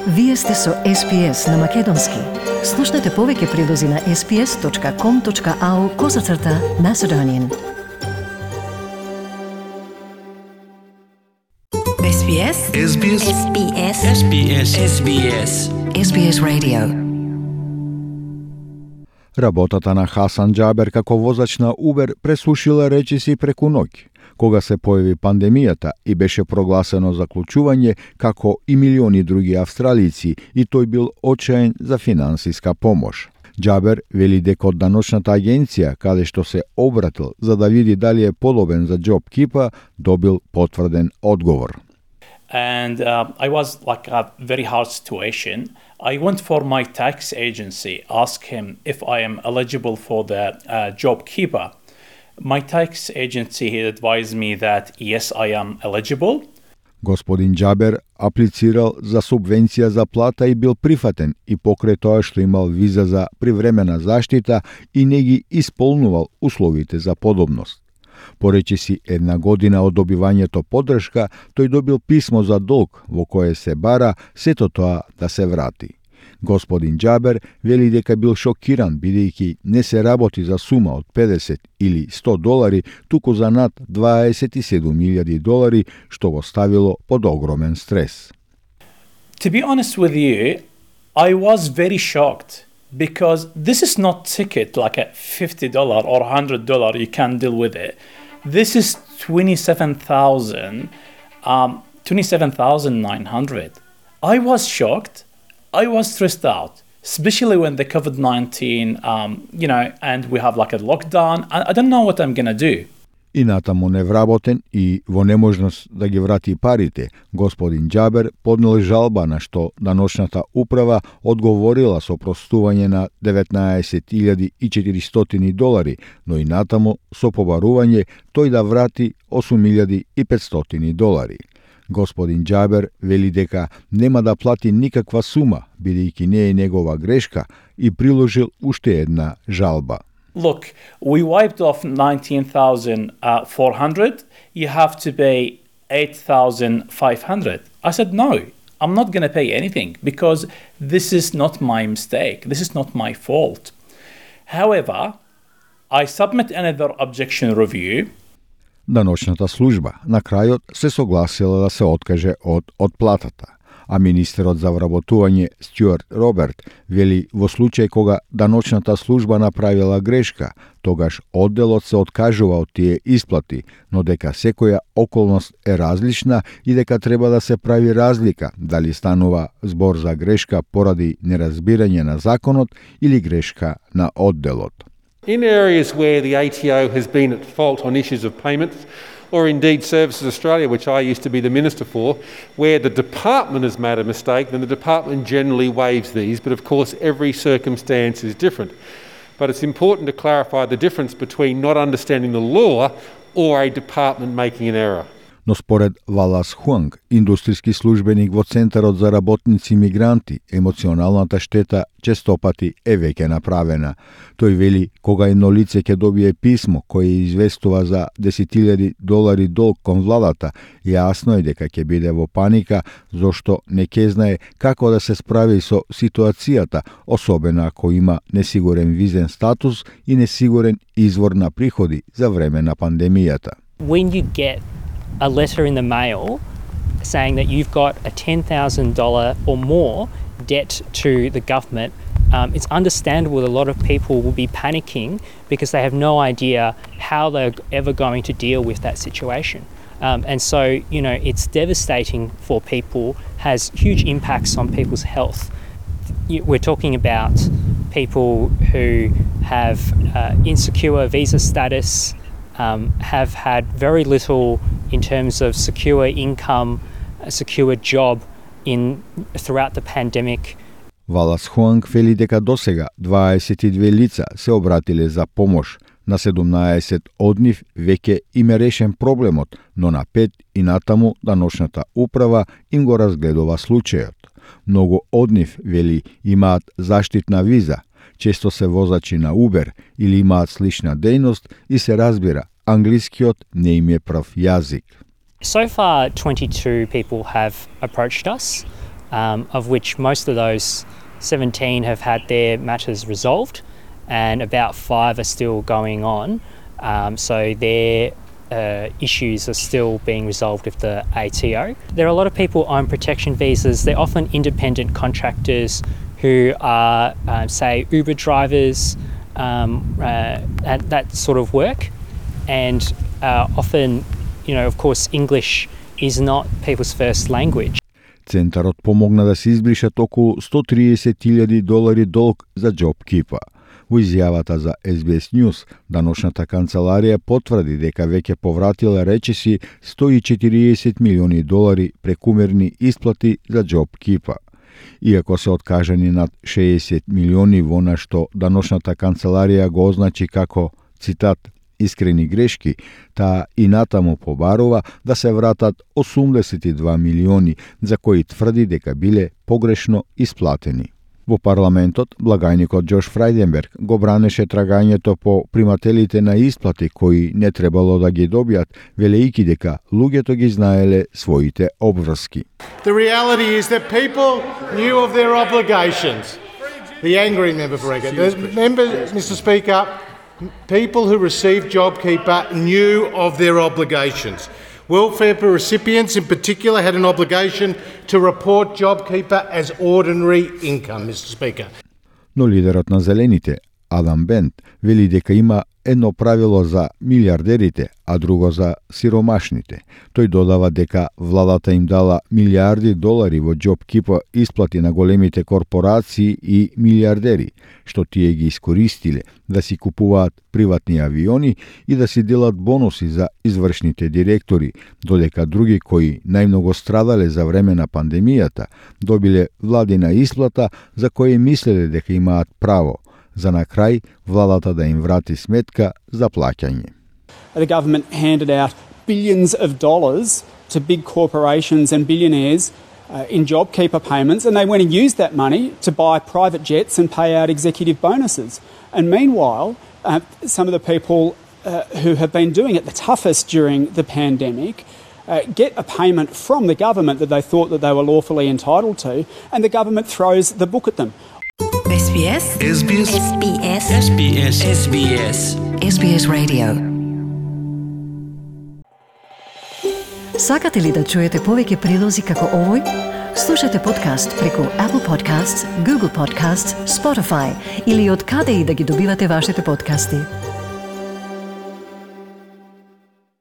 Вие сте со SPS на Македонски. Слушнете повеќе прилози на sps.com.au/Macedonian. SBS SBS SBS SBS SBS SBS Radio. Работата на Хасан Џабер како возач на Убер пресушила речиси преку ноќ, кога се појави пандемијата и беше прогласено заклучување како и милиони други австралици, и тој бил очаен за финансиска помош. Џабер вели дека од даночната агенција, каде што се обратил за да види дали е подобен за JobKeeper, добил потврден одговор. And I was like a very hard situation. I went for my tax agency, asked him if I am eligible for the JobKeeper. My tax agency advised me that yes, I am eligible. Господин Џабер аплицирал за субвенција за плата и бил прифатен, и покрај тоа што имал виза за привремена заштита и не ги исполнувал условите за подобност. Поречиси една година од добивањето поддршка, тој добил писмо за долг во кое се бара сето тоа да се врати. Господин Џабер вели дека бил шокиран бидејќи не се работи за сума од 50 или 100 долари, туку за над 27.000 долари, што го ставило под огромен стрес. To be honest with you, I was very shocked because this is not ticket like a $50 or $100 you can deal with it. This is 27,900. I was shocked. I was stressed out, especially when the COVID-19, and we have like a lockdown. I don't know what I'm going to do. И натаму невработен и во неможност да ги врати парите, господин Џабер поднел жалба на што даночната управа одговорила со простување на 19.400 долари, но и натаму со побарување тој да врати 8.500 долари. Господин Џабер вели дека нема да плати никаква сума, бидејќи не е негова грешка, и приложил уште една жалба. Look, we wiped off 19,400. You have to pay 8,500. I said, no, I'm not going to pay anything because this is not my mistake. This is not my fault. However, I submit another objection review. Даночната служба на крајот се согласила да се откаже од отплатата, а министерот за вработување Стюарт Роберт вели во случај кога даночната служба направила грешка, тогаш одделот се откажува од тие исплати, но дека секоја околност е различна и дека треба да се прави разлика дали станува збор за грешка поради неразбирање на законот или грешка на одделот. In areas where the ATO has been at fault on issues of payments, or indeed Services Australia, which I used to be the Minister for, where the department has made a mistake, then the department generally waives these, but of course every circumstance is different. But it's important to clarify the difference between not understanding the law or a department making an error. Но според Валас Хуанг, индустријски службеник во Центарот за работници мигранти, емоционалната штета честопати е веќе направена. Тој вели кога едно лице ќе добие писмо кое известува за 10.000 долари долг кон владата, јасно е дека ќе биде во паника, зашто не ќе знае како да се справи со ситуацијата, особено ако има несигурен визен статус и несигурен извор на приходи за време на пандемијата. When you get a letter in the mail saying that you've got a $10,000 or more debt to the government, it's understandable that a lot of people will be panicking because they have no idea how they're ever going to deal with that situation. And so, it's devastating for people, has huge impacts on people's health. We're talking about people who have insecure visa status, have had very little in terms of secure income, a secure job throughout the pandemic. Валас Хуанг вели дека досега 22 лица се обратиле за помош. На 17 од нив веќе им е решен проблемот, но на 5 и натаму даночната управа им го разгледува случајот. Многу од нив, вели, имаат заштитна виза, често се возачи на Убер или имаат слична дејност и се разбира, англискиот не им е прв јазик. So far, 22 people have approached us. of which most of those 17 have had their matters resolved, and about 5 are still going on. So their issues are still being resolved with the ATO. There are a lot of people on protection visas. They're often independent contractors who are, say, Uber drivers, that sort of work. And often, of course, English is not people's first language. Центарот помогна да се избришат околу $130,000 долг за JobKeeper. Во изјавата за SBS News, даночната канцеларија потврди дека веќе повратила речиси $140 милиони прекумерни исплати за JobKeeper. Иако се откажани над 60 милиони во на што даночната канцеларија го означи како, цитат, искрени грешки, таа и натаму побарува да се вратат 82 милиони за кои тврди дека биле погрешно исплатени. Во парламентот, благајникот Џош Фрајденберг го бранеше трагањето по примателите на исплати кои не требало да ги добијат, велејќи дека луѓето ги знаеле своите обврски. The reality is that people knew of their obligations. The angry member for Egger. The member, Mr. Speaker, people who received JobKeeper knew of their obligations. Welfare recipients in particular had an obligation to report JobKeeper as ordinary income, Mr. Speaker. Но лидерот на Зелените, Адам Бент, вели дека има едно правило за милиардерите, а друго за сиромашните. Тој додава дека владата им дала $милиарди во JobKeeper исплати на големите корпорации и милиардери, што тие ги искористиле да си купуваат приватни авиони и да си делат бонуси за извршните директори, додека други кои најмногу страдале за време на пандемијата добиле владина исплата за која мислеле дека имаат право, за на крај владата да им врати сметка за плаќање. The government handed out billions of dollars to big corporations and billionaires in JobKeeper payments, and they went and used that money to buy private jets and pay out executive bonuses. And meanwhile, some of the people who have been doing it the toughest during the pandemic get a payment from the government that they thought that they were lawfully entitled to, and the government throws the book at them. SBS SBS SBS SBS SBS SBS Radio. Сакате ли да чуете повеќе прилози како овој? Слушате подкаст преку Apple Podcasts, Google Podcasts, Spotify или од каде и да ги добивате вашите подкасти.